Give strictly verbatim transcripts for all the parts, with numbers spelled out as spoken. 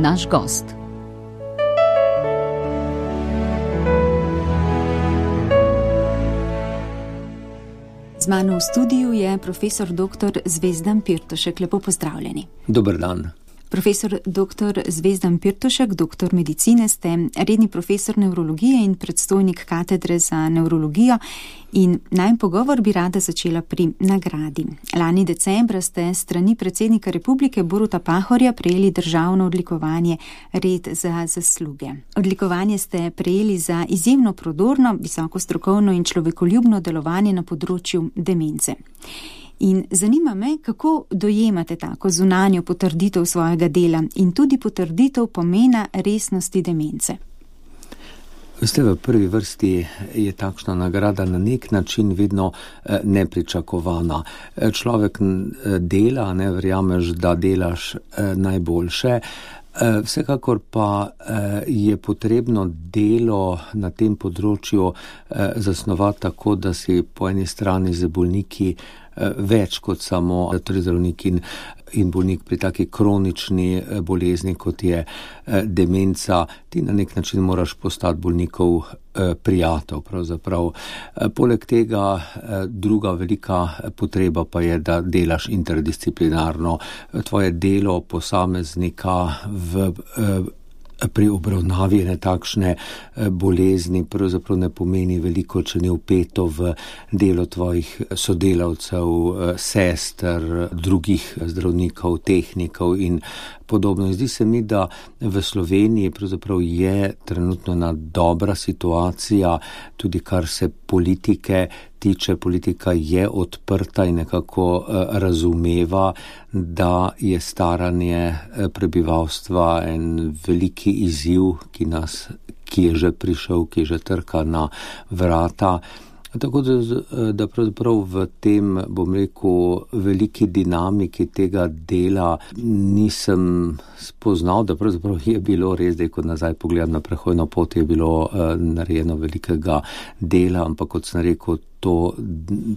naš gost. Z mano v studiu je profesor doktor Zvezdan Pirtošek. Lepo pozdravljeni. Dober dan. Profesor doktor Zvezdan Pirtošek, doktor medicine, ste redni profesor nevrologije in predstojnik katedre za nevrologijo. In najin pogovor bi rada začela pri nagradi. Lani decembra ste strani predsednika republike Boruta Pahorja prejeli državno odlikovanje Red za zasluge. Odlikovanje ste prejeli za izjemno prodorno, visoko strokovno in človekoljubno delovanje na področju demence. In zanima me, kako dojemate tako zunanjo potrditev svojega dela in tudi potrditev pomena resnosti demence. Veste, v prvi vrsti je takšna nagrada na nek način vedno nepričakovana. Človek dela, ne verjameš, da delaš najboljše. Vsekakor pa je potrebno delo na tem področju zasnovati tako, da si po eni strani z bolniki več kot samo torej zdravnik in, in bolnik pri taki kronični bolezni, kot je demenca. Ti na nek način moraš postati bolnikov prijatelj pravzaprav. Poleg tega druga velika potreba pa je, da delaš interdisciplinarno. Tvoje delo posameznika v pri obravnavi ene takšne bolezni pravzaprav ne pomeni veliko, če ni vpeto v delo tvojih sodelavcev, sester, drugih zdravnikov, tehnikov in podobno. Zdi se mi, da v Sloveniji pravzaprav je trenutno ena dobra situacija, tudi kar se politike tiče. Politika je odprta in nekako razumeva, da je staranje prebivalstva en veliki izziv, ki nas, ki je že prišel, ki že trka na vrata. Tako da, da pravzaprav v tem, bom rekel, veliki dinamiki tega dela nisem spoznal, da pravzaprav je bilo res, da ko nazaj pogledam na prehojno pot, je bilo uh, narejeno velikega dela, ampak kot sem rekel, to,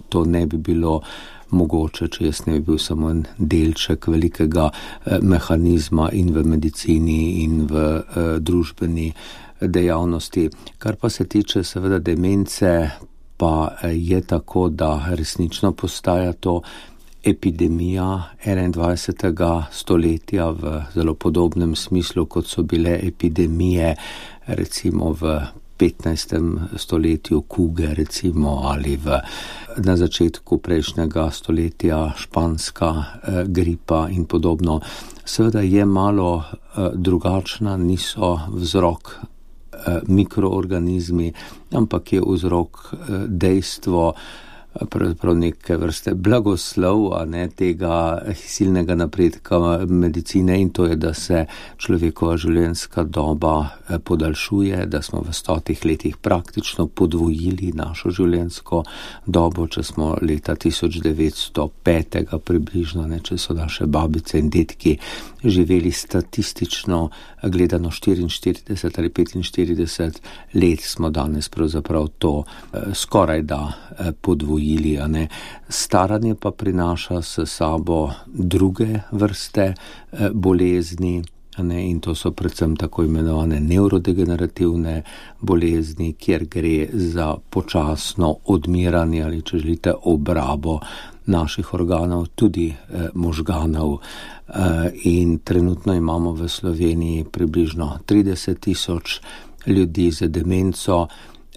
to ne bi bilo mogoče, če jaz ne bi bil samo en delček velikega uh, mehanizma in v medicini in v uh, družbeni dejavnosti. Kar pa se tiče seveda demence, pa je tako, da resnično postaja to epidemija enaindvajsetega stoletja v zelo podobnem smislu, kot so bile epidemije recimo v petnajstem stoletju kuge recimo ali v, na začetku prejšnjega stoletja španska eh, gripa in podobno. Seveda je malo eh, drugačna, niso vzrok mikroorganizmi, ampak je vzrok dejstvo, pravzaprav neke vrste blagoslov, a ne tega silnega napredka medicine, in to je, da se človekova življenjska doba podaljšuje, da smo v stotih letih praktično podvojili našo življenjsko dobo, če smo leta tisoč devetsto pet približno, ne, če so naše babice in detki živeli statistično gledano štiriinštirideset ali petinštirideset let, smo danes pravzaprav to skoraj da podvojili. Staranje pa prinaša s sabo druge vrste bolezni, ne, in to so predvsem tako imenovane nevrodegenerativne bolezni, kjer gre za počasno odmiranje ali, če želite, obrabo naših organov, tudi eh, možganov. Eh, in trenutno imamo v Sloveniji približno trideset tisoč ljudi z demenco.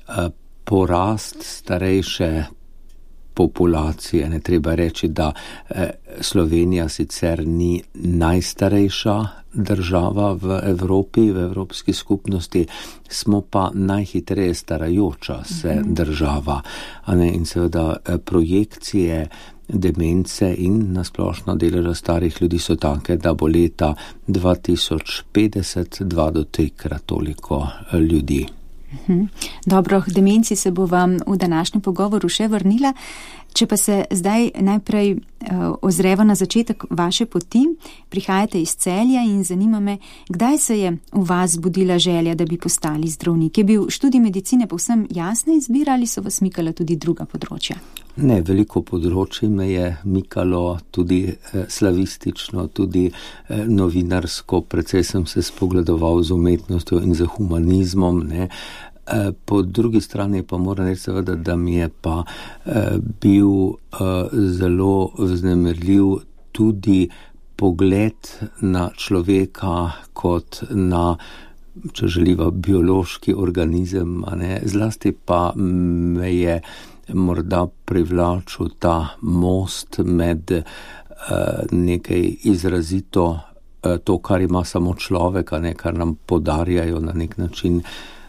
Eh, porast starejše populacije, ne treba reči, da eh, Slovenija sicer ni najstarejša država v Evropi, v Evropski skupnosti, smo pa najhitreje starajoča se država. A ne, in seveda eh, projekcije demence in nasplošno deleža starih ljudi so take, da bo leta dva tisoč petdeset dva do trikrat toliko ljudi. Dobro, k demenci se bo vam v današnjem pogovoru še vrnila. Če pa se zdaj najprej uh, ozreva na začetek vaše poti, prihajate iz Celja in zanima me, kdaj se je v vas budila želja, da bi postali zdravnik? Je bil študij medicine povsem jasna izbira ali so vas mikala tudi druga področja? Ne, veliko področji me je mikalo, tudi eh, slavistično, tudi eh, novinarsko, precej sem se spogledoval z umetnostjo in z humanizmom, ne. Po drugi strani pa moram reči seveda, da mi je pa eh, bil eh, zelo vznemirljiv tudi pogled na človeka kot na, če želiva, biološki organizem, a ne, zlasti pa me je morda privlačil ta most med eh, nekaj izrazito eh, to, kar ima samo človek, a ne, kar nam podarjajo na nek način,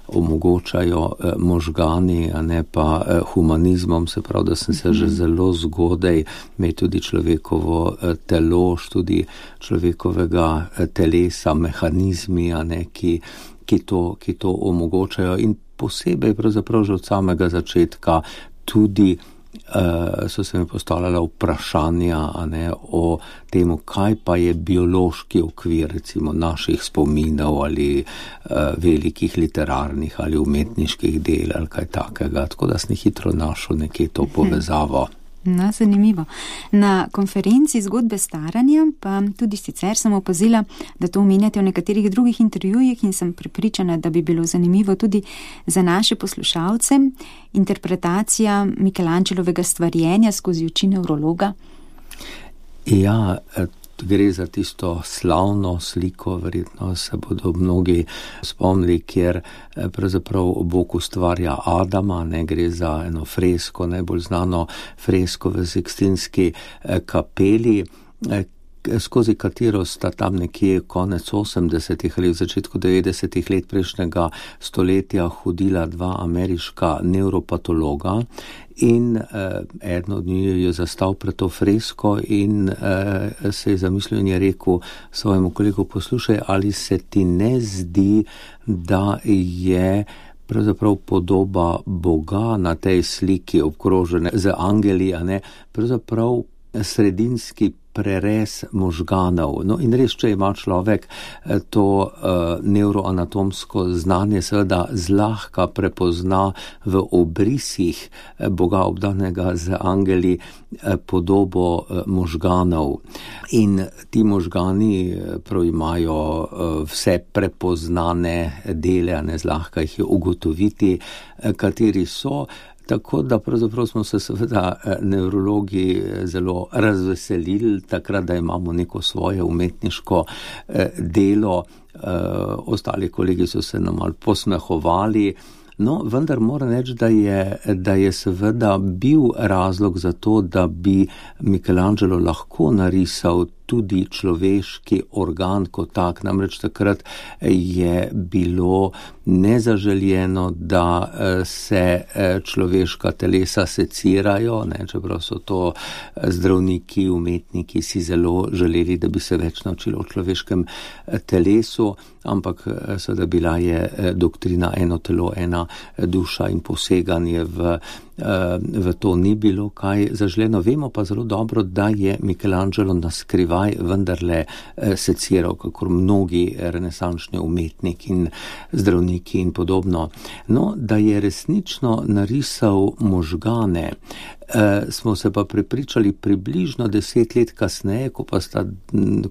omogočajo eh, možgani, a ne pa eh, humanizmom, se pravi, da sem se že zelo zgodaj imel tudi človekovo eh, telo, tudi človekovega eh, telesa, mehanizmi, a ne, ki, ki, to, ki to omogočajo in posebej pravzaprav že od samega začetka tudi Uh, so se mi postavljala vprašanja, a ne, o temu, kaj pa je biološki okvir recimo naših spominov ali uh, velikih literarnih ali umetniških del ali kaj takega, tako da sem hitro našel nekje to povezavo. No, zanimivo. Na konferenci Zgodbe staranja pa tudi sicer sem opazila, da to omenjate v nekaterih drugih intervjujih in sem prepričana, da bi bilo zanimivo tudi za naše poslušalce interpretacija Michelangelovega stvarjenja skozi oči nevrologa. Ja, gre za tisto slavno sliko, verjetno se bodo mnogi spomnili, kjer pravzaprav Bog ustvarja Adama, ne, gre za eno fresko, najbolj znano fresko v Sikstinski kapeli, skozi katero sta tam nekje konec osemdesetih ali v začetku devetdesetih let prejšnjega stoletja hodila dva ameriška nevropatologa in eh, eden od njih je zastal pred to fresko in eh, se je zamislil in je rekel svojemu kolegu: poslušaj, ali se ti ne zdi, da je pravzaprav podoba Boga na tej sliki obkrožene z angeli, a ne, pravzaprav sredinski prerez možganov. No in res, če ima človek to uh, neuroanatomsko znanje, seveda zlahka prepozna v obrisih Boga obdanega z angeli podobo uh, možganov. In ti možgani prav imajo uh, vse prepoznane dele, a ne zlahka jih je ugotoviti, uh, kateri so. Tako da pravzaprav smo se seveda nevrologi zelo razveselili takrat, da imamo neko svoje umetniško delo. Ostali kolegi so se nam malo posmehovali. No, vendar moram reči, da je, da je seveda bil razlog za to, da bi Michelangelo lahko narisal tudi človeški organ kot tak. Namreč takrat je bilo nezaželjeno, da se človeška telesa secirajo, ne, čeprav so to zdravniki, umetniki si zelo želeli, da bi se več naučili o človeškem telesu, ampak seveda bila je doktrina eno telo, ena duša in poseganje v v to ni bilo kaj zaželeno. Vemo pa zelo dobro, da je Michelangelo naskrivaj vendarle seciral, kakor mnogi renesančni umetniki in zdravniki in podobno. No, da je resnično narisal možgane, E, smo se pa prepričali približno deset let kasneje, ko pa, sta,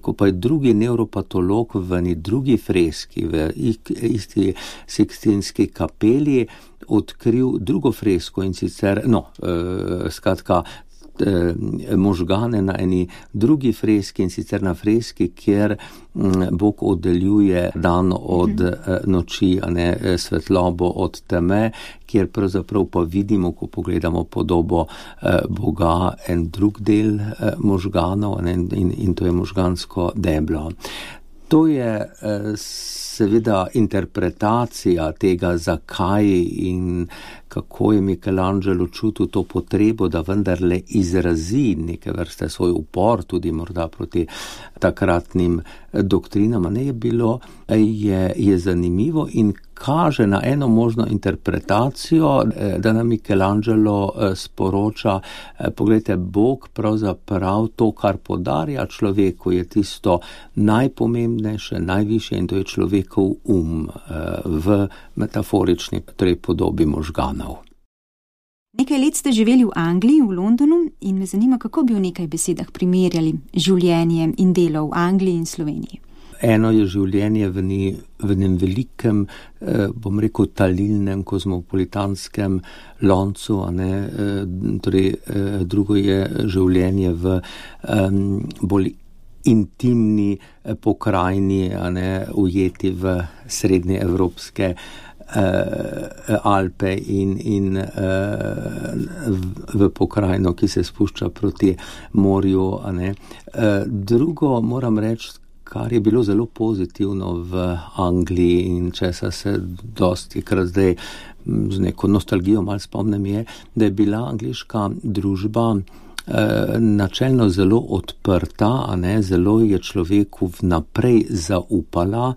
ko pa je drugi nevropatolog v eni drugi freski, v isti Sikstinski kapeli, odkril drugo fresko in sicer, no, e, skratka, možgane na eni drugi freski in sicer na freski, kjer Bog oddeljuje dan od noči, a ne svetlobo od teme, kjer pravzaprav pa vidimo, ko pogledamo podobo Boga, en drug del možganov, in, in, in to je možgansko deblo. To je seveda interpretacija tega, zakaj in kako je Michelangelo čutil to potrebo, da vendarle izrazi neke vrste svoj upor, tudi morda proti takratnim doktrinam. Ne, je bilo, je, je zanimivo in kaže na eno možno interpretacijo, da nam Michelangelo sporoča, pogledajte, Bog pravzaprav to, kar podarja človeku, je tisto najpomembnejše, najvišje in to je človekov um v metaforični torej podobi možganov. Nekaj let ste živeli v Angliji, v Londonu in me zanima, kako bi v nekaj besedah primerjali življenje in delo v Angliji in Sloveniji. Eno je življenje v, ni, v enem velikem, eh, bom rekel, talilnem, kozmopolitanskem loncu, a ne, eh, torej eh, drugo je življenje v eh, bolj intimni eh, pokrajini, a ne, ujeti v srednje evropske Alpe in, in v pokrajino, ki se spušča proti morju. A ne. Drugo moram reči, kar je bilo zelo pozitivno v Angliji in česa se dosti krat zdaj z neko nostalgijo malo spomnim, je, da je bila angleška družba načelno zelo odprta, a ne, zelo je človeku vnaprej zaupala,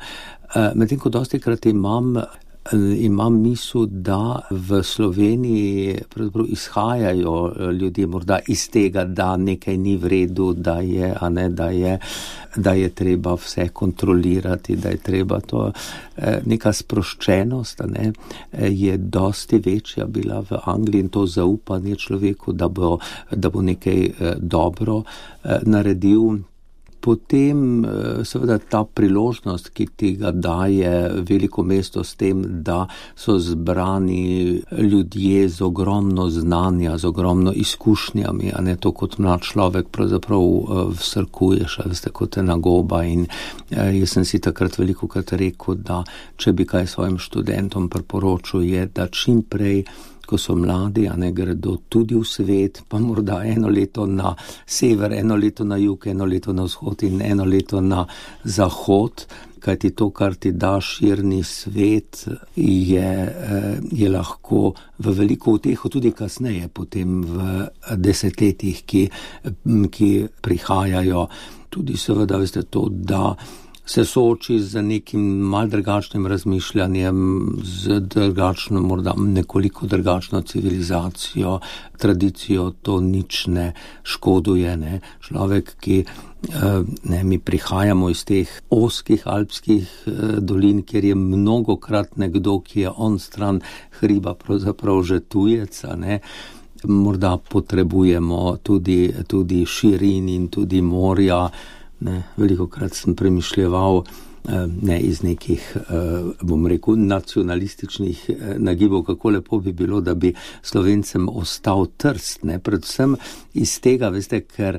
medtem ko dosti krat imam Imam misel, da v Sloveniji pravzaprav izhajajo ljudje morda iz tega, da nekaj ni v redu, da je, a ne, da je, da je treba vse kontrolirati, da je treba to, neka sproščenost, a ne, je dosti večja bila v Angliji in to zaupanje človeku, da bo, da bo nekaj dobro naredil. Potem seveda ta priložnost, ki ti ga daje veliko mesto s tem, da so zbrani ljudje z ogromno znanja, z ogromno izkušnjami, a ne to kot mlad človek pravzaprav vsrkuješ, a veste, kot ena goba in jaz sem si takrat veliko krat rekel, da če bi kaj svojim študentom priporočil je, da čim prej, ko so mladi, a ne, gredo tudi v svet, pa morda eno leto na sever, eno leto na jug, eno leto na vzhod in eno leto na zahod, kajti to, kar ti da širni svet, je, je lahko v veliko uteho tudi kasneje, potem v desetletjih, ki, ki prihajajo. Tudi seveda, veste, to, da se sooči z nekim mal drugačnim razmišljanjem, z drugačno, morda nekoliko drugačno civilizacijo, tradicijo, to nič ne škoduje, ne. Človek, ki, ne, mi prihajamo iz teh ozkih alpskih dolin, kjer je mnogokrat nekdo, ki je on stran hriba, pravzaprav že tujec, a ne. Morda potrebujemo tudi, tudi širin in tudi morja. Ne, veliko krat sem premišljeval ne iz nekih, bom rekel, nacionalističnih nagibov, kako lepo bi bilo, da bi Slovencem ostal Trst, ne, predvsem iz tega, veste, ker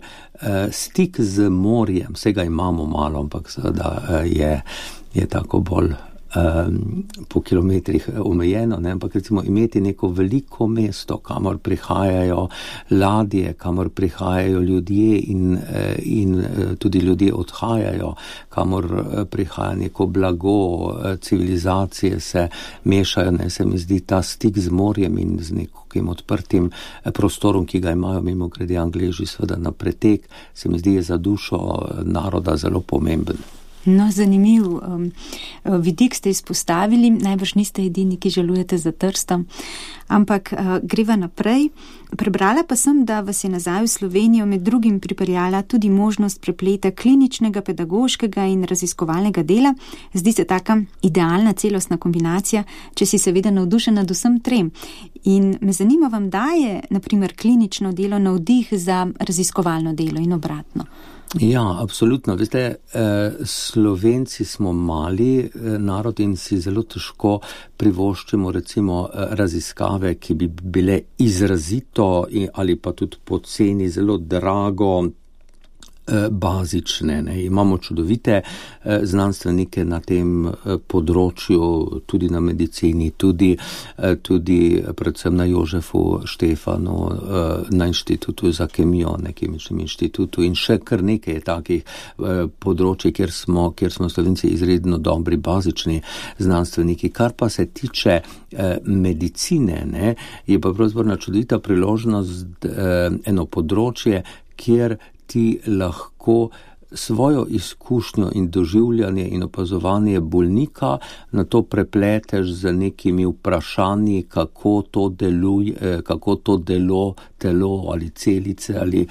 stik z morjem, vsega imamo malo, ampak seveda je, je tako bolj po kilometrih omejeno, ne, ampak recimo imeti neko veliko mesto, kamor prihajajo ladje, kamor prihajajo ljudje in, in tudi ljudje odhajajo, kamor prihaja neko blago, civilizacije se mešajo, ne, se mi zdi ta stik z morjem in z nekim odprtim prostorom, ki ga imajo mimogrede Angleži seveda na pretek, se mi zdi je za dušo naroda zelo pomemben. No, zanimiv um, vidik ste izpostavili, najbrž niste edini, ki žalujete za Trstom, ampak uh, greva naprej. Prebrala pa sem, da vas je nazaj v Slovenijo med drugim pripeljala tudi možnost prepleta kliničnega, pedagoškega in raziskovalnega dela. Zdi se taka idealna celostna kombinacija, če si seveda navdušen nad vsem trem. In me zanima, vam daje, na primer, klinično delo navdih za raziskovalno delo in obratno? Ja, absolutno. Veste, eh, Slovenci smo mali eh, narod in si zelo težko privoščimo recimo eh, raziskave, ki bi bile izrazito in, ali pa tudi poceni, zelo drago, bazične. Ne. Imamo čudovite eh, znanstvenike na tem eh, področju, tudi na medicini, tudi, eh, tudi predvsem na Jožefu Štefanu, eh, na inštitutu za kemijo, na kemičnem inštitutu in še kar nekaj takih eh, področji, kjer smo, kjer smo Slovenci izredno dobri bazični znanstveniki. Kar pa se tiče eh, medicine, ne, je pa pravzaprav čudovita priložnost eh, eno področje, kjer ti lahko svojo izkušnjo in doživljanje in opazovanje bolnika na to prepleteš z nekimi vprašanji, kako to deluje, kako to delo, telo ali celice ali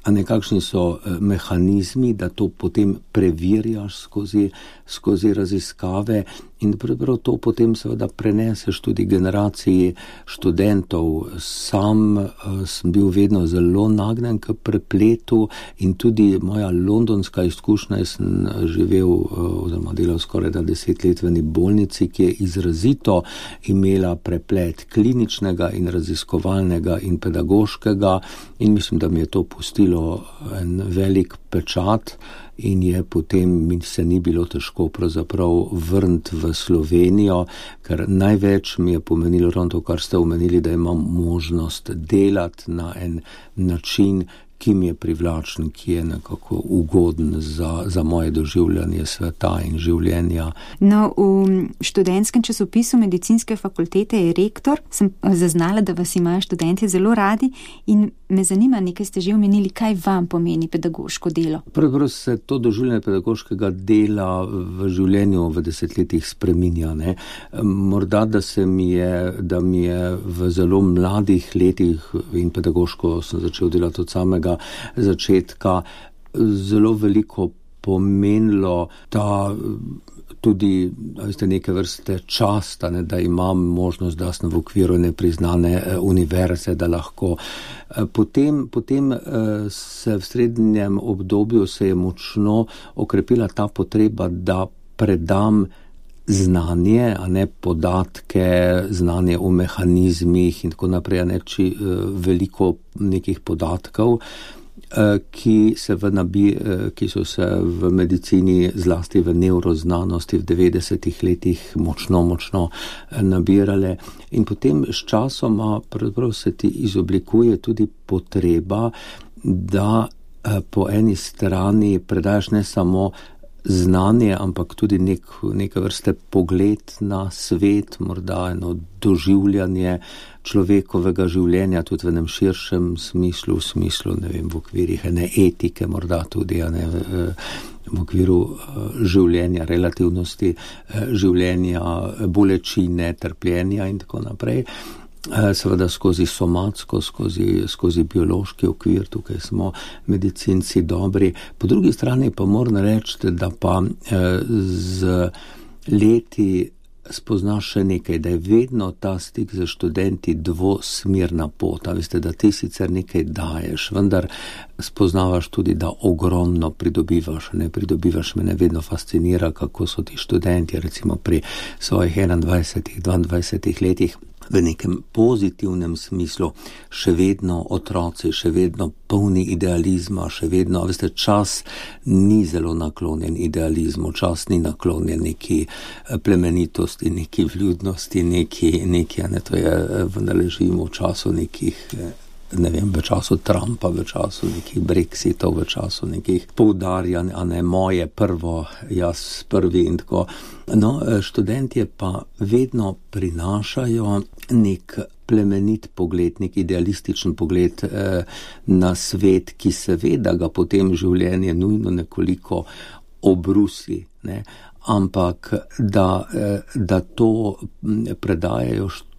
a nekakšni so mehanizmi, da to potem preverjaš skozi, skozi raziskave in prav to potem seveda preneseš tudi generaciji študentov. Sam sem bil vedno zelo nagnjen k prepletu in tudi moja londonska izkušnja, jaz sem živel oziroma delal skoraj da deset let v eni bolnici, ki je izrazito imela preplet kliničnega in raziskovalnega in pedagoškega in mislim, da mi je to pustilo en velik pečat in je potem mi se ni bilo težko pravzaprav vrniti v Slovenijo, ker največ mi je pomenilo ravno to, kar ste omenili, da imam možnost delati na en način, ki mi je privlačen, ki je nekako ugoden za, za moje doživljanje sveta in življenja. No, v študentskem časopisu medicinske fakultete je rektor, sem zaznala, da vas imajo študenti zelo radi in me zanima, nekaj ste že omenili, kaj vam pomeni pedagoško delo. Pravzaprav se to doživljanje pedagoškega dela v življenju v desetletjih spreminja. Ne? Morda, da se mi je, da mi je v zelo mladih letih in pedagoško sem začel delati od samega začetka zelo veliko pomenilo ta tudi veste, neke vrste časta, ne, da imam možnost, da sem v okviru nepriznane univerze, da lahko. Potem, potem se v srednjem obdobju se je močno okrepila ta potreba, da predam znanje, a ne podatke, znanje o mehanizmih in tako naprej, a ne či, veliko nekih podatkov, ki, se v nabi, ki so se v medicini, zlasti v nevroznanosti v devetdesetih letih močno, močno nabirale. In potem s časoma pravzaprav se ti izoblikuje tudi potreba, da po eni strani predaš ne samo znanje, ampak tudi nek, neke vrste pogled na svet, morda eno doživljanje človekovega življenja, tudi v enem širšem smislu, v smislu, ne vem, v okvirih ene etike, morda tudi ne, v okviru življenja, relativnosti življenja, bolečine, trpljenja in tako naprej. Seveda skozi somatsko, skozi, skozi biološki okvir, tukaj smo medicinci dobri. Po drugi strani pa moram reči, da pa z leti spoznaš še nekaj, da je vedno ta stik z študenti dvosmerna pot. A veste, da ti sicer nekaj daješ, vendar spoznavaš tudi, da ogromno pridobivaš. Ne pridobivaš, me ne vedno fascinira, kako so ti študenti, recimo pri svojih enaindvajsetih, dvaindvajsetih letih, v nekem pozitivnem smislu še vedno otroci, še vedno polni idealizma, še vedno, veste, čas ni zelo naklonjen idealizmu, čas ni naklonjen neki plemenitosti, neki vljudnosti, neki, neki, ne, to je, vendar živimo v času nekih, ne vem, v času Trumpa, v času nekih Brexitov, v času nekih poudarjanj, a ne moje prvo, jaz prvi in tako. No, študentje pa vedno prinašajo nek plemenit pogled, nek idealističen pogled eh, na svet, ki seveda ga potem življenje nujno nekoliko obrusi, ne? Ampak da, eh, da to predajajo št-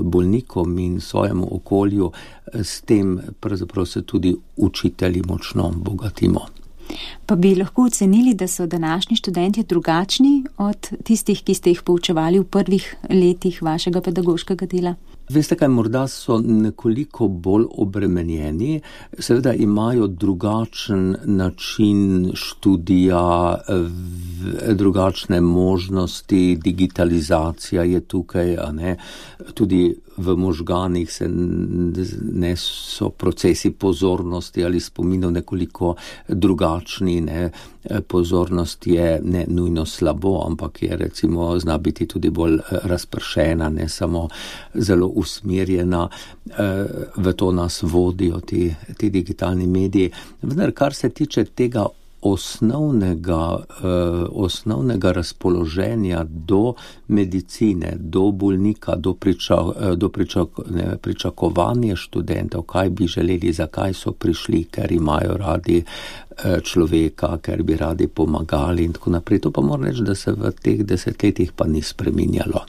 bolnikom in svojemu okolju, s tem pravzaprav se tudi učitelji močno bogatimo. Pa bi lahko ocenili, da so današnji študenti drugačni od tistih, ki ste jih poučevali v prvih letih vašega pedagoškega dela? Veste kaj, morda so nekoliko bolj obremenjeni, seveda imajo drugačen način študija, drugačne možnosti, digitalizacija je tukaj, a ne, tudi v možganih se ne so procesi pozornosti ali spominov nekoliko drugačni, ne, pozornost je ne nujno slabo, ampak je recimo zna biti tudi bolj razpršena, ne samo zelo usmerjena, v to nas vodijo ti, ti digitalni mediji. Vendar, kar se tiče tega osnovnega, osnovnega razpoloženja do medicine, do bolnika, do, priča, do pričak, ne, pričakovanja študentov, kaj bi želeli, zakaj so prišli, ker imajo radi človeka, ker bi radi pomagali in tako naprej. To pa moram reči, da se v teh desetletjih pa ni spreminjalo.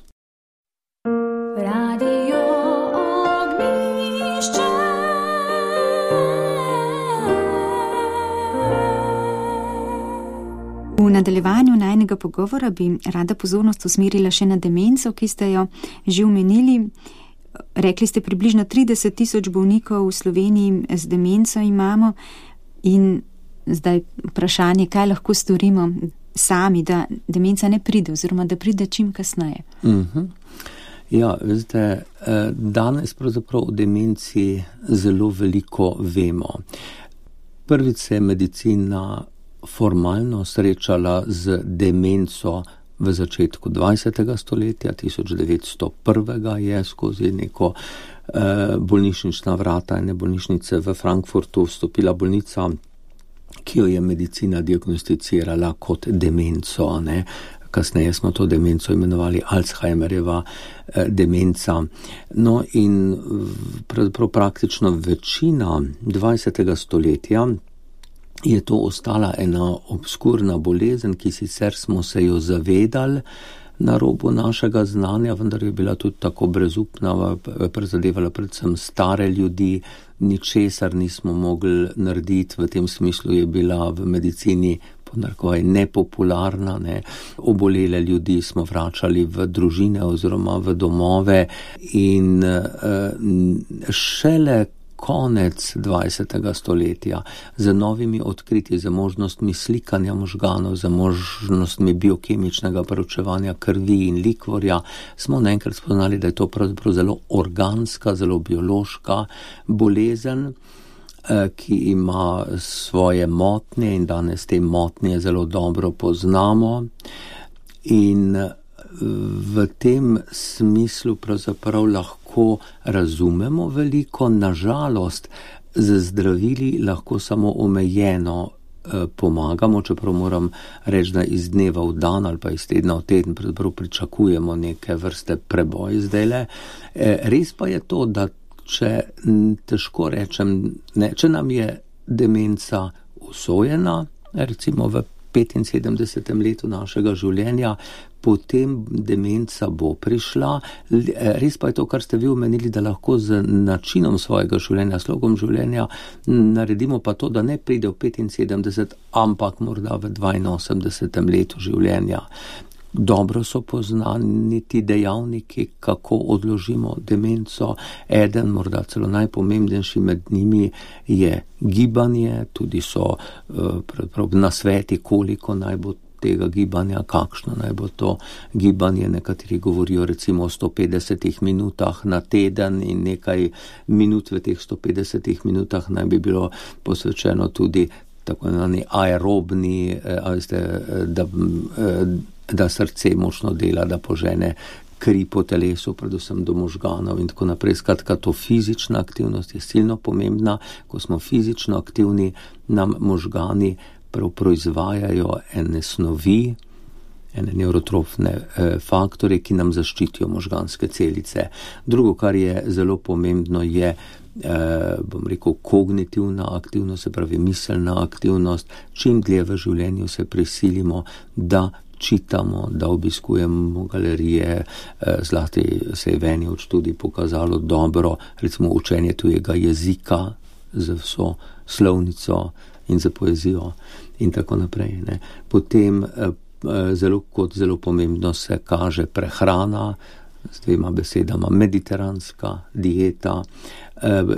Radio Ognjišče. V nadaljevanju najnega pogovora bi rada pozornost usmerila še na demenco, ki ste jo že omenili. Rekli ste, približno trideset tisoč bolnikov v Sloveniji z demenco imamo in zdaj vprašanje, kaj lahko storimo sami, da demenca ne pride oziroma da pride čim kasneje. Uh-huh. Ja, veste, danes pravzaprav o demenci zelo veliko vemo. Prvič se je medicina formalno srečala z demenco v začetku dvajsetega stoletja, tisoč devetsto prvega je skozi neko eh, bolnišnična vrata ene bolnišnice v Frankfurtu vstopila bolnica, ki jo je medicina diagnosticirala kot demenco, ne. Kasneje smo to demenco imenovali Alzheimerjeva eh, demenca. No in pravzaprav praktično večina dvajsetega stoletja je to ostala ena obskurna bolezen, ki sicer smo se jo zavedali na robu našega znanja, vendar je bila tudi tako brezupna, prizadevala predvsem stare ljudi, ničesar nismo mogli narediti, v tem smislu je bila v medicini ponarkovaj nepopularna, ne. Obolele ljudi smo vračali v družine oziroma v domove in uh, šele konec dvajsetega stoletja z novimi odkritji, z možnostmi slikanja možganov, z možnostmi biokemičnega proučevanja krvi in likvorja, smo naenkrat spoznali, da je to pravzaprav zelo organska, zelo biološka bolezen, ki ima svoje motnje in danes te motnje zelo dobro poznamo. In v tem smislu pravzaprav lahko razumemo veliko, nažalost z zdravili lahko samo omejeno eh, pomagamo, čeprav moram reči, da iz dneva v dan ali pa iz tedna v teden pravzaprav pričakujemo neke vrste preboj zdajle. Eh, res pa je to, da če težko rečem, ne, če nam je demenca usojena, recimo v petinsedemdesetem letu našega življenja, potem demenca bo prišla. Res pa je to, kar ste vi omenili, da lahko z načinom svojega življenja, slogom življenja naredimo pa to, da ne pride v petinsedemdeset, ampak morda v dvainosemdesetem letu življenja. Dobro so poznani ti dejavniki, kako odložimo demenco. Eden, morda celo najpomembnejši med njimi je gibanje, tudi so uh, nasveti, koliko naj bo tega gibanja, kakšno naj bo to gibanje. Nekateri govorijo recimo o sto petdesetih minutah na teden in nekaj minut v teh sto petdesetih minutah naj bi bilo posvečeno tudi tako imenovani aerobni, eh, da eh, da srce močno dela, da požene kri po telesu, predvsem do možganov in tako naprej. Skratka, to fizična aktivnost je silno pomembna. Ko smo fizično aktivni, nam možgani prav proizvajajo ene snovi, ene neurotrofne eh, faktore, ki nam zaščitijo možganske celice. Drugo, kar je zelo pomembno, je eh, bom rekel, kognitivna aktivnost, se pravi miselna aktivnost. Čim dlje v življenju se prisilimo, da čitamo, da obiskujemo galerije, zlasti se je v eni od študij pokazalo dobro, recimo učenje tujega jezika z vso slovnico in z poezijo in tako naprej. Ne. Potem zelo, kot zelo pomembno se kaže prehrana, z dvema besedama mediteranska dieta.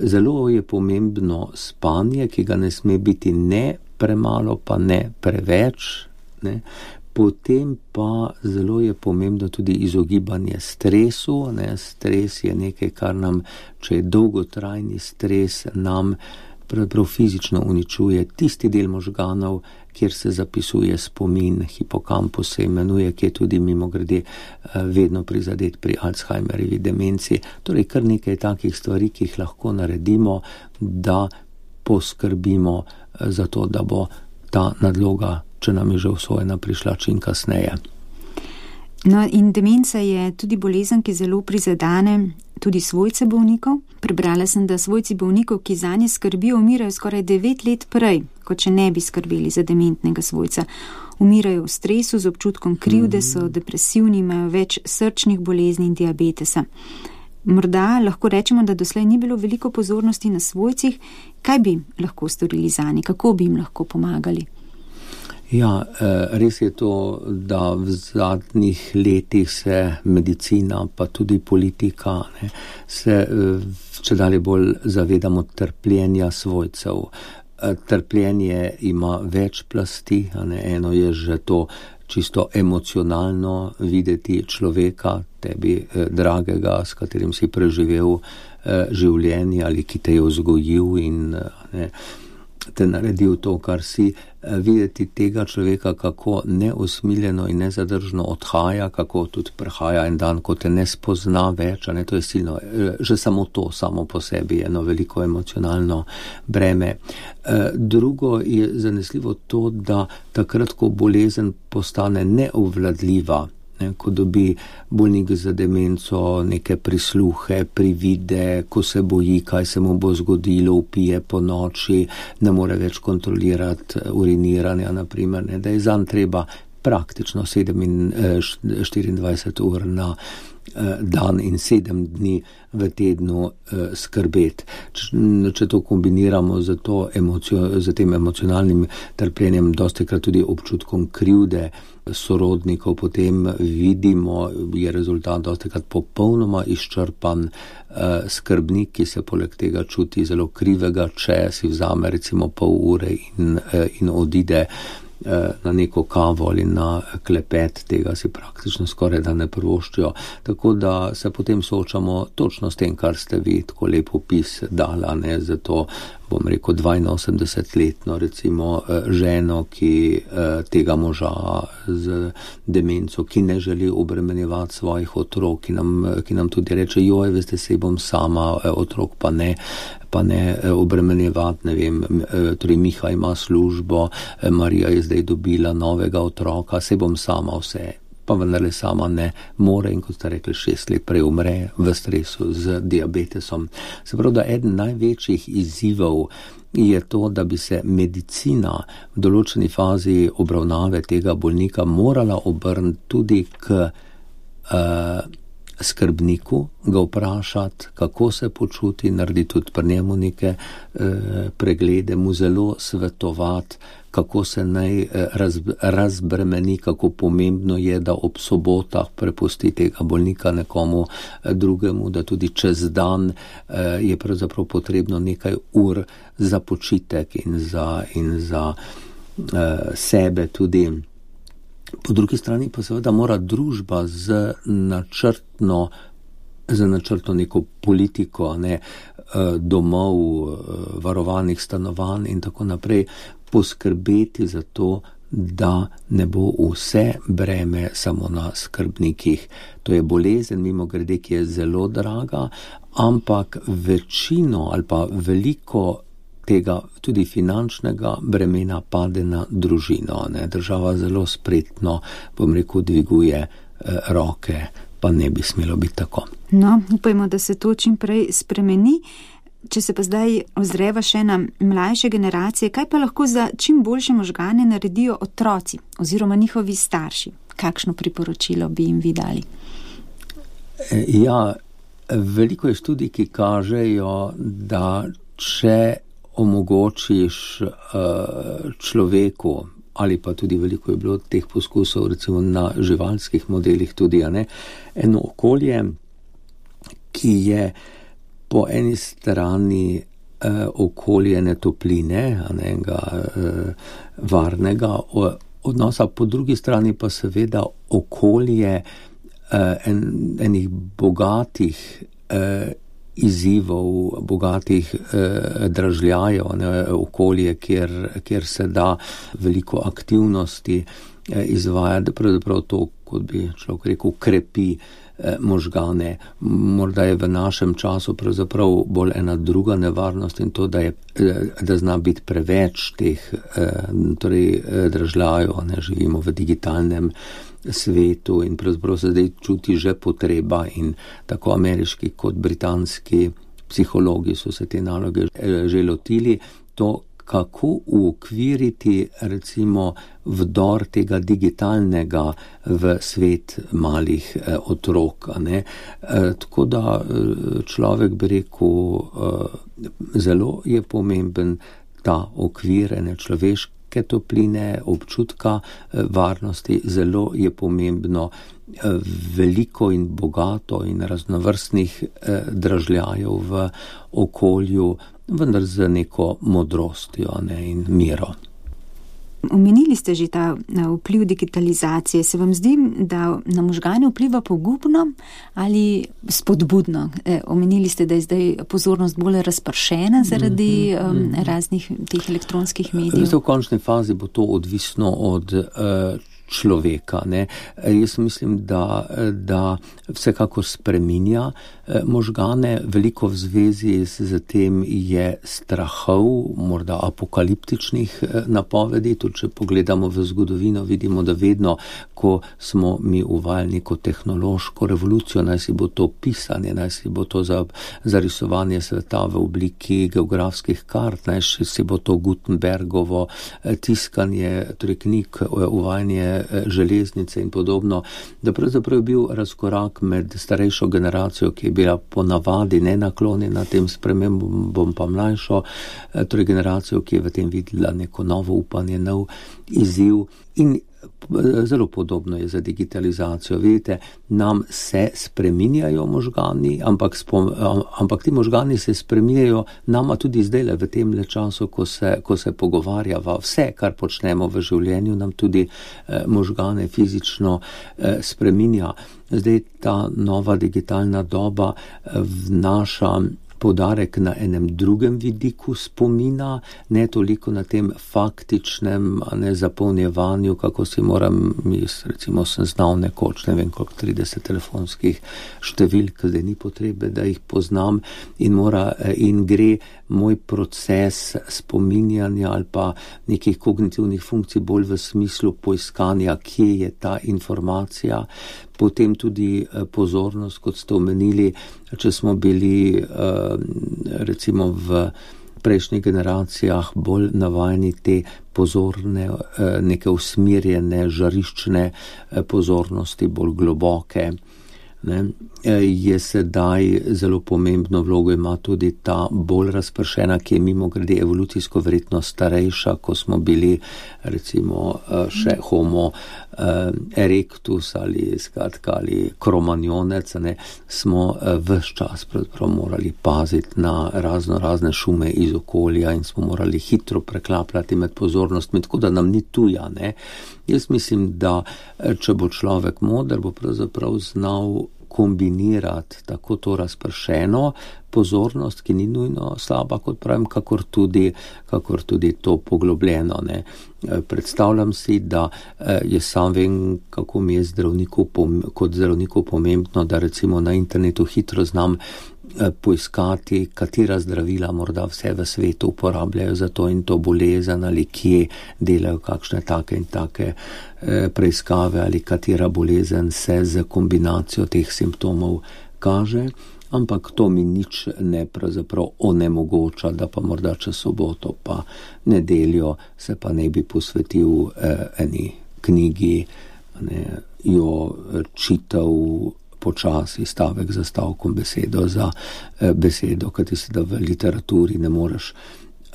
Zelo je pomembno spanje, ki ga ne sme biti ne premalo, pa ne preveč, ne. Potem pa zelo je pomembno tudi izogibanje stresu. Ne. Stres je nekaj, kar nam, če je dolgotrajni stres, nam pravzaprav fizično uničuje tisti del možganov, kjer se zapisuje spomin, hipokampus se imenuje, ki je tudi mimogrede vedno prizadet pri Alzheimerjevi demenci. Torej, kar nekaj takih stvari, ki jih lahko naredimo, da poskrbimo za to, da bo ta nadloga, če nam je že usvojena, prišla čim kasneje. No, in demenca je tudi bolezen, ki zelo prizadane tudi svojce bolnikov. Prebrala sem, da svojci bolnikov, ki zanje skrbijo, umirajo skoraj devet let prej, kot če ne bi skrbeli za dementnega svojca. Umirajo v stresu, z občutkom krivde, so depresivni, imajo več srčnih bolezni in diabetesa. Morda lahko rečemo, da doslej ni bilo veliko pozornosti na svojcih. Kaj bi lahko storili zanje? Kako bi jim lahko pomagali? Ja, res je to, da v zadnjih letih se medicina, pa tudi politika, ne, se čedalje bolj zavedamo trpljenja svojcev. Trpljenje ima več plasti, ne, eno je že to čisto emocionalno videti človeka, tebi dragega, s katerim si preživel življenje ali ki te je vzgojil in ne, te naredil to, kar si, videti tega človeka, kako neusmiljeno in nezadržno odhaja, kako tudi prihaja en dan, ko te ne spozna več, a ne, to je silno, že samo to, samo po sebi je eno veliko emocionalno breme. Drugo je zanesljivo to, da takrat, ko bolezen postane neobvladljiva, ko dobi bolnik za demenco neke prisluhe, privide, ko se boji, kaj se mu bo zgodilo, vpije po noči, ne more več kontrolirati uriniranja, naprimer, ne, da je zanj treba praktično štiriindvajset ur na dan in sedem dni v tednu skrbeti. Če to kombiniramo z, to emocio, z tem emocionalnim trpljenjem, dostikrat tudi občutkom krivde sorodnikov, potem vidimo, je rezultat dostikrat popolnoma izčrpan. Skrbnik, ki se poleg tega čuti zelo krivega, če si vzame recimo pol ure in, in odide na neko kavo ali na klepet, tega si praktično skoraj da ne privoščijo. Tako da se potem soočamo točno s tem, kar ste vi tako lep opis dala, ne, zato bom rekel dvainosemdesetletno recimo ženo, ki tega moža z demenco, ki ne želi obremenjevati svojih otrok, ki nam, ki nam tudi reče, joj, veste, sej bom sama, otrok pa ne, pa ne obremenjevati, ne vem, torej Miha ima službo, Marija je zdaj dobila novega otroka, sej bom sama vse. Pa vendarle sama ne more in, kot ste rekli, šest let prej umre v stresu z diabetesom. Se pravi, da eden največjih izzivov je to, da bi se medicina v določeni fazi obravnave tega bolnika morala obrniti tudi k uh, skrbniku, ga vprašati, kako se počuti, narediti tudi pri njemu neke uh, preglede, mu zelo svetovati, kako se naj raz, razbremeni, kako pomembno je, da ob sobotah prepusti tega bolnika nekomu drugemu, da tudi čez dan eh, je pravzaprav potrebno nekaj ur za počitek in za, in za eh, sebe tudi. Po drugi strani pa seveda mora družba z načrtno za načrtno neko politiko, ne, domov, varovanih stanovanj in tako naprej, poskrbeti za to, da ne bo vse breme samo na skrbnikih. To je bolezen, mimogrede, ki je zelo draga, ampak večino ali pa veliko tega tudi finančnega bremena pade na družino. Ne. Država zelo spretno, bom rekel, dviguje eh, roke, pa ne bi smelo biti tako. No, upajmo, da se to čim prej spremeni. Če se pa zdaj ozreva še na mlajše generacije, kaj pa lahko za čim boljše možgane naredijo otroci oziroma njihovi starši? Kakšno priporočilo bi jim vi dali? Ja, veliko je študij, ki kažejo, da če omogočiš uh, človeku, ali pa tudi veliko je bilo teh poskusov, recimo na živalskih modelih tudi, a ne, eno okolje, ki je po eni strani eh, okolje netopline, enega eh, varnega odnosa, po drugi strani pa seveda okolje eh, en, enih bogatih eh, izzivov, bogatih eh, dražljajev, ne, okolje, kjer, kjer se da veliko aktivnosti eh, izvajati, pravzaprav to, kot bi človek rekel, krepi možgane. Morda je v našem času pravzaprav bolj ena druga nevarnost in to, da, je, da zna biti preveč teh torej, dražljajev, ne živimo v digitalnem svetu in pravzaprav se zdaj čuti že potreba in tako ameriški kot britanski psihologi so se te naloge že lotili, to kako uokviriti recimo vdor tega digitalnega v svet malih eh, otrok. Ne? Eh, tako da človek bi rekel, eh, zelo je pomemben ta okvir ene človeške topline, občutka eh, varnosti, zelo je pomembno eh, veliko in bogato in raznovrstnih eh, dražljajev v okolju, vendar z neko modrostjo, ne, in miro. Omenili ste že ta vpliv digitalizacije. Se vam zdi, da na možgane vpliva pogubno ali spodbudno? E, omenili ste, da je zdaj pozornost bolj razpršena zaradi mm-hmm. um, raznih teh elektronskih medijev. V končni fazi bo to odvisno od uh, človeka. Ne. Jaz mislim, da, da vsekakor spreminja možgane, veliko v zvezi z tem je strahov, morda apokaliptičnih napovedi. Tudi če pogledamo v zgodovino, vidimo, da vedno, ko smo mi uvajali neko tehnološko revolucijo, naj si bo to pisanje, naj si bo to za, za risovanje sveta v obliki geografskih kart, naj si bo to Gutenbergovo tiskanje, torej knjig, uvajanje železnice in podobno, da pravzaprav je bil razkorak med starejšo generacijo, ki je bila po navadi nenaklonjena tem spremembam, pa mlajšo, torej generacijo, ki je v tem videla neko novo upanje, nov izziv. In zelo podobno je za digitalizacijo. Vidite, nam se spreminjajo možgani, ampak, spom, ampak ti možgani se spreminjajo nama tudi zdaj v tem le času, ko se, ko se pogovarjava. Vse, kar počnemo v življenju, nam tudi eh, možgane fizično eh, spreminja. Zdaj ta nova digitalna doba eh, vnaša poudarek na enem drugem vidiku spomina, ne toliko na tem faktičnem, a ne zapolnjevanju, kako si moram, jaz recimo sem znal nekoč, ne vem koliko, trideset telefonskih številk, zdaj ni potrebe, da jih poznam in mora in gre moj proces spominjanja ali pa nekih kognitivnih funkcij bolj v smislu poiskanja, kje je ta informacija. Potem tudi pozornost, kot ste omenili, če smo bili recimo v prejšnjih generacijah bolj navajeni te pozorne, neke usmerjene, žariščne pozornosti, bolj globoke. Ne, je sedaj zelo pomembno vlogo ima tudi ta bolj razpršena, ki je mimogrede evolucijsko verjetno starejša, ko smo bili recimo še homo erectus ali skratka ali kromanjonec, ne, smo ves čas pravzaprav morali paziti na razno razne šume iz okolja in smo morali hitro preklapljati med pozornostmi, tako da nam ni tuja. Ne. Jaz mislim, da če bo človek moder, bo pravzaprav znal kombinirati tako to razpršeno pozornost, ki ni nujno slaba, kot pravim, kakor tudi, kakor tudi to poglobljeno. Ne. Predstavljam si, da jaz sam vem, kako mi je zdravniku, kot zdravniku pomembno, da recimo na internetu hitro znam poiskati, katera zdravila morda vse v svetu uporabljajo za to in to bolezen ali kje delajo kakšne take in take preiskave ali katera bolezen se z kombinacijo teh simptomov kaže, ampak to mi nič ne pravzaprav onemogoča, da pa morda čez soboto pa nedeljo se pa ne bi posvetil eh, eni knjigi, ne, jo čital počasi, stavek za stavkom, besedo za eh, besedo, kajti se da v literaturi ne moreš.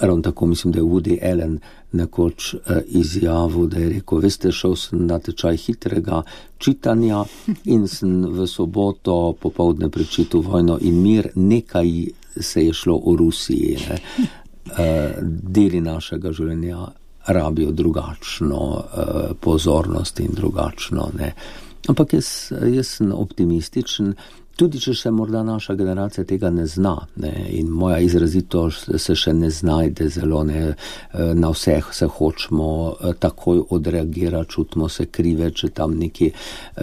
Ravno tako mislim, da je Woody Allen nekoč eh, izjavil, da je rekel, veste, šel sem na tečaj hitrega čitanja in sem v soboto popoldne prečital Vojno in mir, nekaj se je šlo o Rusiji. Ne. Eh, deli našega življenja rabijo drugačno eh, pozornost in drugačno, ne. Ampak jaz, jaz sem optimističen Tudi, če še morda naša generacija tega ne zna, ne, in moja izrazitost se še ne znajde zelo, ne, na vseh se hočemo takoj odreagirati, čutimo se krive, če tam nekaj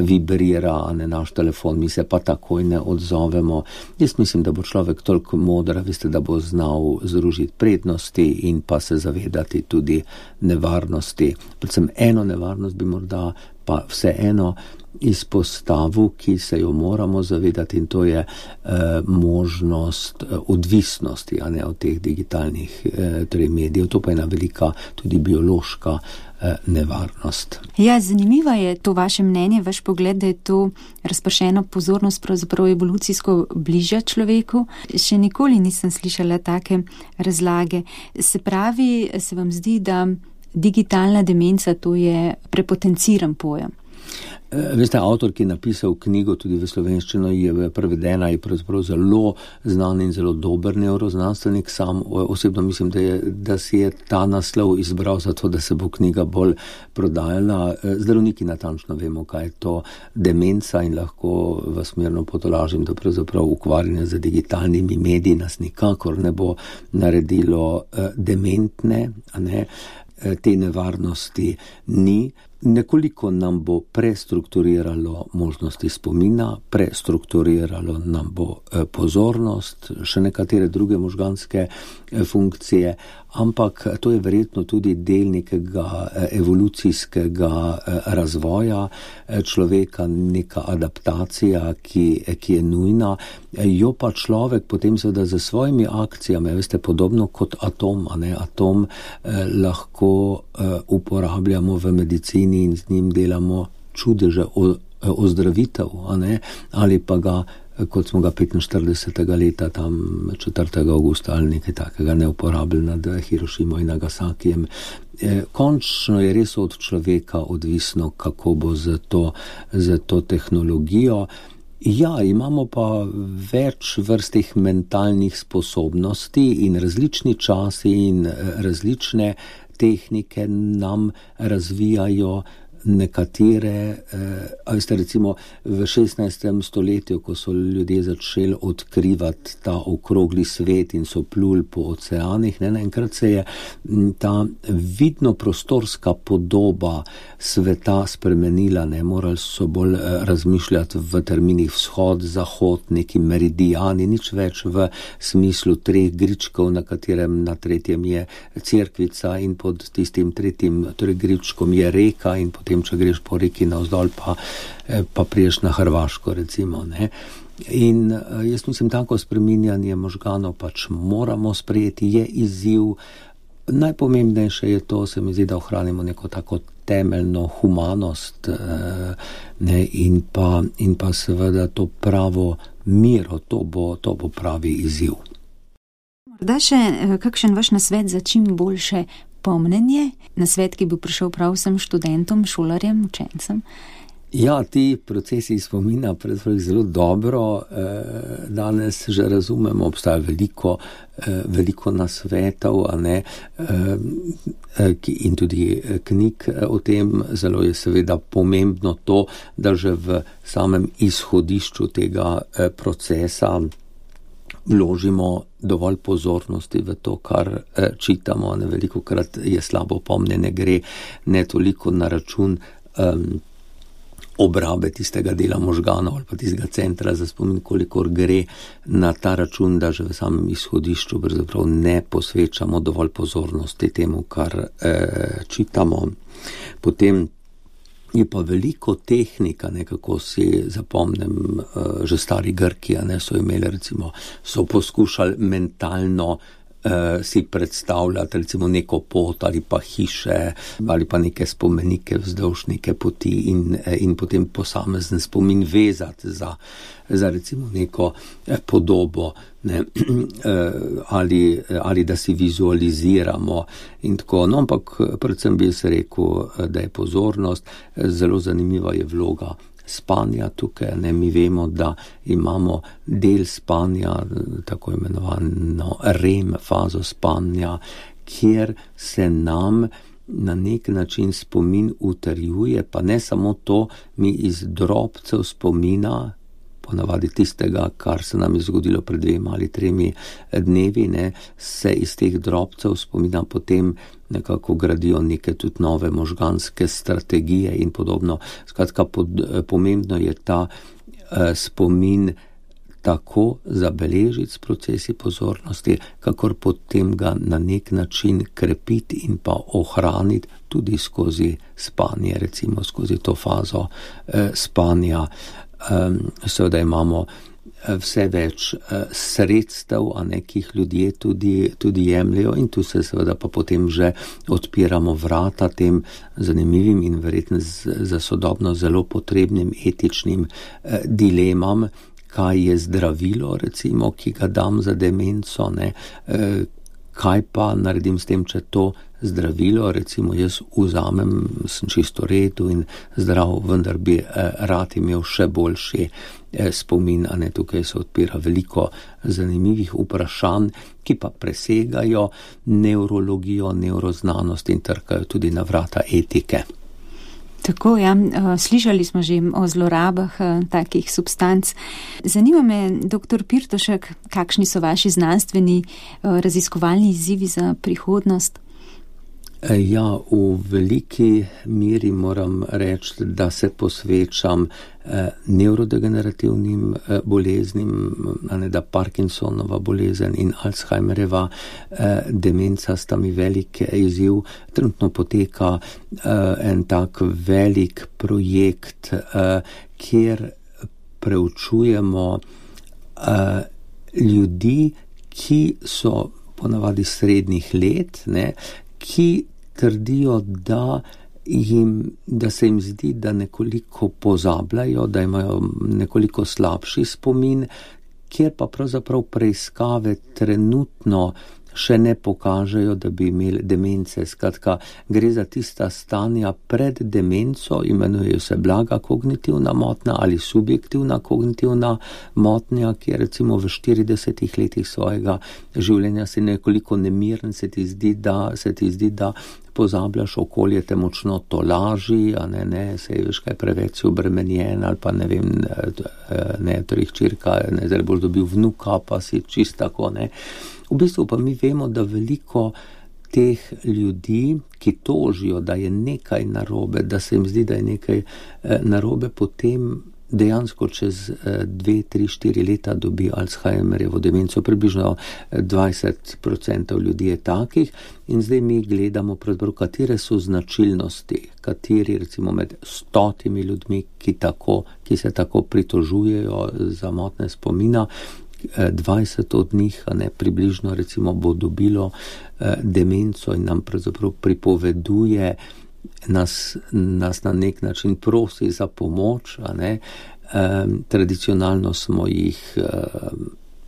vibrira, ne, naš telefon, mi se pa takoj ne odzovemo. Jaz mislim, da bo človek toliko modra, veste, da bo znal združiti prednosti in pa se zavedati tudi nevarnosti. Predvsem eno nevarnost bi morda pa vseeno izpostavu, ki se jo moramo zavedati, in to je eh, možnost eh, odvisnosti, a ne, od teh digitalnih eh, torej medijev. To pa je ena velika tudi biološka eh, nevarnost. Ja, zanimivo je to vaše mnenje, vaš pogled, da je to razpršena pozornost pravzaprav evolucijsko bliža človeku. Še nikoli nisem slišala take razlage. Se pravi, se vam zdi, da digitalna demenca to je prepotenciran pojem? Veste, avtor, ki je napisal knjigo tudi v slovenščino, je prevedena, je pravzaprav zelo znan in zelo dober neuroznanstvenik. Sam osebno mislim, da, je, da si je ta naslov izbral zato, da se bo knjiga bolj prodajala. Zdravniki natančno vemo, kaj je to demenca, in lahko vas mirno potolažim, da pravzaprav ukvarjanje z digitalnimi mediji nas nikakor ne bo naredilo dementne, a ne. Te nevarnosti ni. Nekoliko nam bo prestrukturiralo možnosti spomina, prestrukturiralo nam bo pozornost, še nekatere druge možganske funkcije, ampak to je verjetno tudi del nekega evolucijskega razvoja človeka, neka adaptacija, ki, ki je nujna. Jo pa človek potem seveda za svojimi akcijami, veste, podobno kot atom, a ne, atom eh, lahko eh, uporabljamo v medicini in z njim delamo čudeže ozdravitev, a ne, ali pa ga, kot smo ga petinštiridesetega leta, tam četrtega avgusta ali nekaj takega, ne uporabili nad Hirošimo in Nagasakijem. E, končno je res od človeka odvisno, kako bo za to, za to tehnologijo. Ja, imamo pa več vrstih mentalnih sposobnosti in različni časi in različne tehnike nam razvijajo nekatere, eh, a veste, recimo v šestnajstem stoletju, ko so ljudje začeli odkrivati ta okrogli svet in so pluli po oceanih, ne, naenkrat se je ta vidno prostorska podoba sveta spremenila, ne, morali so bolj razmišljati v terminih vzhod, zahod, neki meridijani, nič več v smislu treh gričkov, na katerem na tretjem je cerkvica in pod tistim tretjim, torej gričkom je reka in potem če greš po reki navzdol, pa, pa priješ na Hrvaško, recimo, ne. In jaz mislim, tako spreminjanje možganov pač moramo sprejeti, je izziv. Najpomembnejše je to, se mi zdi, da ohranimo neko tako temeljno humanost, ne, in pa, in pa seveda to pravo miro, to bo, to bo pravi izziv. Morda še kakšen vaš nasvet za čim boljše pomnenje, nasvet, ki bi prišel prav vsem študentom, šolarjem, učencem? Ja, ti procesi spomina predvsem zelo dobro eh, danes že razumemo, obstaja veliko, eh, veliko nasvetov, a ne, eh, in tudi knjig o tem. Zelo je seveda pomembno to, da že v samem izhodišču tega eh, procesa vložimo dovolj pozornosti v to, kar eh, čitamo. Ne, veliko krat je slabo pomnjenje, gre ne toliko na račun um, obrabe tistega dela možganov ali pa tistega centra za spomin, kolikor gre na ta račun, da že v samem izhodišču pravzaprav ne posvečamo dovolj pozornosti temu, kar eh, čitamo. Potem je pa veliko tehnika, nekako si zapomnim, uh, že stari Grki, ne, so imeli, recimo, so poskušali mentalno uh, si predstavljati, recimo, neko pot ali pa hiše ali pa neke spomenike vzdolž neke poti in, in potem posamezen spomin vezati za, za recimo neko podobo, ne, ali, ali da si vizualiziramo in tako. No, ampak predvsem bi se rekel, da je pozornost, zelo zanimiva je vloga spanja tukaj, ne, mi vemo, da imamo del spanja, tako imenovano REM fazo spanja, kjer se nam na nek način spomin utrjuje, pa ne samo to, mi iz drobcev spomina ponavadi tistega, kar se nam je zgodilo pred dvema ali tremi dnevi, ne, se iz teh drobcev spomina potem nekako gradijo neke tudi nove možganske strategije in podobno. Skratka, pod, pomembno je ta eh, spomin tako zabeležiti s procesi pozornosti, kakor potem ga na nek način krepiti in pa ohraniti tudi skozi spanje, recimo skozi to fazo eh, spanja. Um, seveda imamo vse več uh, sredstev, a nekih ljudje tudi, tudi jemljajo in tu se seveda pa potem že odpiramo vrata tem zanimivim in verjetno z, za sodobno zelo potrebnim etičnim uh, dilemam, kaj je zdravilo, recimo, ki ga dam za demenco, ne, uh, kaj pa naredim s tem, če to zdravilo, recimo jaz vzamem, sem čisto redu in zdrav, vendar bi eh, rad imel še boljši eh, spomin, a ne, tukaj se odpira veliko zanimivih vprašanj, ki pa presegajo nevrologijo, nevroznanost in trkajo tudi na vrata etike. Tako, ja, slišali smo že o zlorabah takih substanc. Zanima me, doktor Pirtošek, kakšni so vaši znanstveni raziskovalni izzivi za prihodnost? Ja, v veliki meri moram reči, da se posvečam eh, nevrodegenerativnim eh, boleznim, a ne da Parkinsonova bolezen in Alzheimerjeva eh, demenca sta mi velik izziv. Trenutno poteka eh, en tak velik projekt, eh, kjer preučujemo eh, ljudi, ki so ponavadi srednjih let, ne, ki trdijo, da, jim, da se jim zdi, da nekoliko pozabljajo, da imajo nekoliko slabši spomin, kjer pa pravzaprav preiskave trenutno še ne pokažejo, da bi imeli demence. Skratka, gre za tista stanja pred demenco, imenujejo se blaga kognitivna motnja ali subjektivna kognitivna motnja, ki je recimo v štiridesetih letih svojega življenja si nekoliko nemiren, se ti zdi, da, se ti zdi, da pozabljaš, okolje te močno tolaži, a ne, ne, se veš, kaj preveč si obremenjen, ali pa ne vem, ne, torej hčerka, ne, zdaj boš dobil vnuka, pa si čist tako, ne. V bistvu pa mi vemo, da veliko teh ljudi, ki tožijo, da je nekaj narobe, da se jim zdi, da je nekaj narobe, potem dejansko čez dve, tri, štiri leta dobi Alzheimerjevo demenco. Približno dvajset procentov ljudi je takih in zdaj mi gledamo, katere so značilnosti, kateri recimo med stotimi ljudmi, ki, tako, ki se tako pritožujejo za motnje spomina, dvajset od njih, a ne, približno recimo bo dobilo eh, demenco in nam pravzaprav pripoveduje, nas, nas na nek način prosi za pomoč, a ne. Eh, tradicionalno smo jih eh,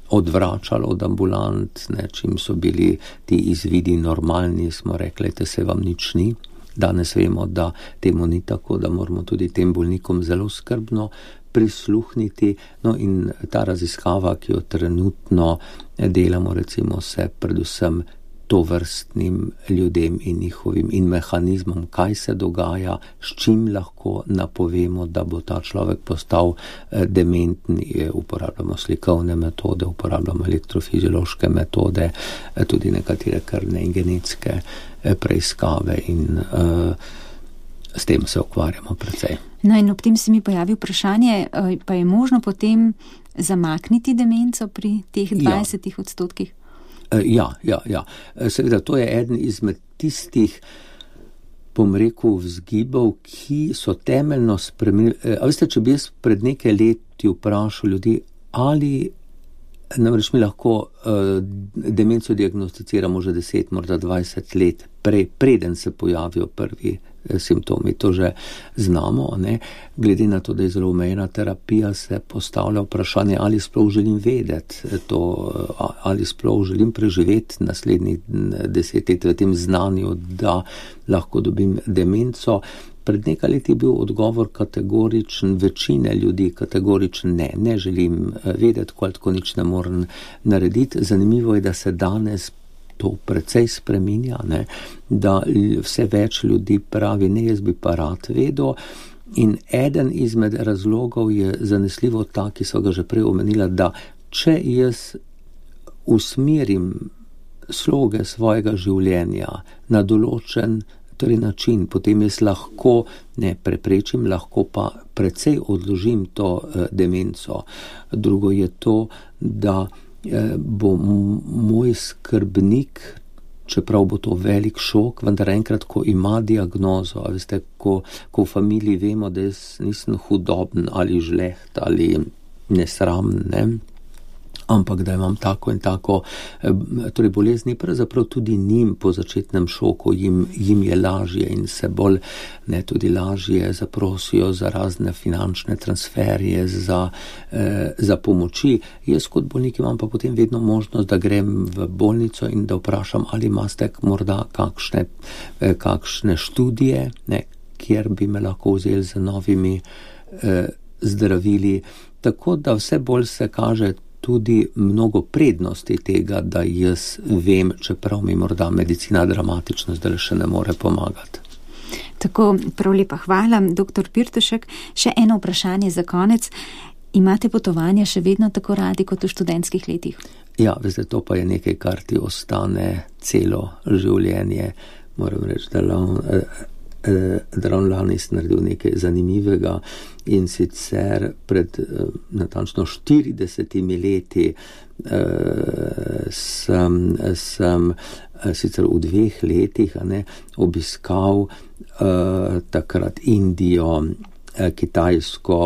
odvračali od ambulant, ne, čim so bili ti izvidi normalni, smo rekli, da se vam nič ni. Danes vemo, da temu ni tako, da moramo tudi tem bolnikom zelo skrbno prisluhniti. No in ta raziskava, ki jo trenutno delamo, recimo se predvsem tovrstnim ljudem in njihovim in mehanizmom, kaj se dogaja, s čim lahko napovemo, da bo ta človek postal dementni. Uporabljamo slikovne metode, uporabljamo elektrofiziološke metode, tudi nekatere krvne in genetske preiskave in uh, s tem se ukvarjamo precej. No in ob tem se mi pojavi vprašanje, pa je možno potem zamakniti demenco pri teh dvajsetih odstotkih? Ja, ja, ja. Seveda, to je eden izmed tistih, bom rekel, vzgibov, ki so temeljno spremenili. A veste, če bi jaz pred nekaj leti vprašal ljudi, ali namreč mi lahko uh, demenco diagnosticiramo že deset, morda dvajset let, prej, preden se pojavijo prvi simptomi, to že znamo, ne. Glede na to, da je zelo omejena terapija, se postavlja vprašanje, ali sploh želim vedeti to, ali sploh želim preživeti naslednjih deset let v tem znanju, da lahko dobim demenco. Pred nekaj leti je bil odgovor kategoričen, večine ljudi kategoričen ne, ne želim vedeti, ko tako nič ne morem narediti. Zanimivo je, da se danes to precej spreminja, ne, da vse več ljudi pravi, ne, jaz bi pa rad vedel, In eden izmed razlogov je zanesljivo ta, ki so ga že prej omenila, da če jaz usmerim sloge svojega življenja na določen torej način, potem jaz lahko ne preprečim, lahko pa precej odložim to eh, demenco. Drugo je to, da eh, bo m- moj skrbnik, čeprav bo to velik šok, vendar enkrat, ko ima diagnozo, a veste, ko, ko v familiji vemo, da jaz nisem hudoben ali žleht ali nesramen, ne, ampak da imam tako in tako torej bolezni, pravzaprav tudi njim po začetnem šoku jim, jim je lažje in se bolj ne tudi lažje zaprosijo za razne finančne transferje, za, eh, za pomoči. Jaz kot bolnik imam pa potem vedno možnost, da grem v bolnico in da vprašam, ali imate morda kakšne, eh, kakšne študije, ne, kjer bi me lahko vzeli z novimi eh, zdravili. Tako da vse bolj se kaže tudi mnogo prednosti tega, da jaz vem, čeprav mi morda medicina dramatično zdaj še ne more pomagati. Tako, prav lepa hvala, doktor Pirtošek. Še eno vprašanje za konec. Imate potovanja še vedno tako radi kot v študentskih letih? Ja, veste, to pa je nekaj, kar ti ostane celo življenje. Moram reči, da da ravno lani sem naredil nekaj zanimivega in sicer pred natančno štiridesetimi leti eh, sem, sem sicer v dveh letih a ne, obiskal eh, takrat Indijo, Kitajsko,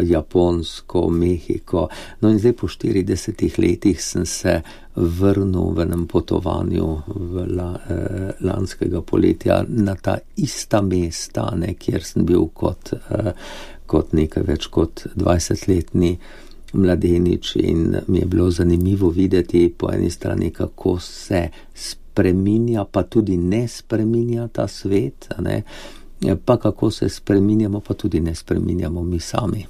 Japonsko, Mehiko. No in zdaj po štiridesetih letih sem se vrnil v enem potovanju v la, eh, lanskega poletja na ta ista mesta, ne, kjer sem bil kot, eh, kot nekaj več kot dvajsetletni mladenič in mi je bilo zanimivo videti po eni strani, kako se spreminja, pa tudi ne spreminja ta svet, a ne, pa kako se spreminjamo, pa tudi ne spreminjamo mi sami.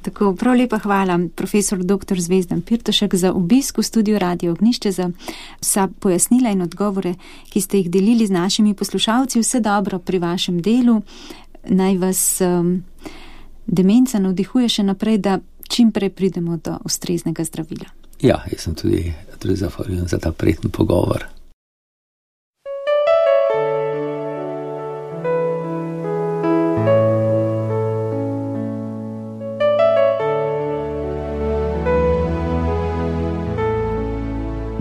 Tako, prav lepa hvala, profesor doktor Zvezdan Pirtošek, za obisk v studiu Radio Ognjišče, za vsa pojasnila in odgovore, ki ste jih delili z našimi poslušalci. Vse dobro pri vašem delu. Naj vas um, demenca navdihuje še naprej, da čim prej pridemo do ustreznega zdravila. Ja, jaz sem tudi, tudi zahvaljujem za ta prijeten pogovor.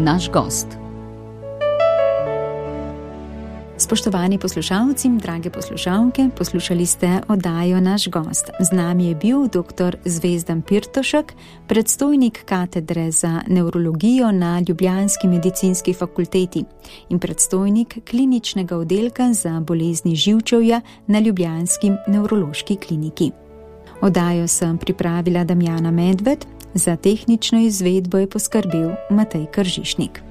Naš gost. Spoštovani poslušalci, drage poslušalke, poslušali ste oddajo Naš gost. Z nami je bil doktor Zvezdan Pirtošek, predstojnik katedre za nevrologijo na ljubljanski medicinski fakulteti in predstojnik kliničnega oddelka za bolezni živčevja na ljubljanski nevrološki kliniki. Oddajo sem pripravila Damjana Medved, za tehnično izvedbo je poskrbel Matej Kržišnik.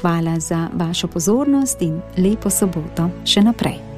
Hvala za vašo pozornost in lepo soboto še naprej.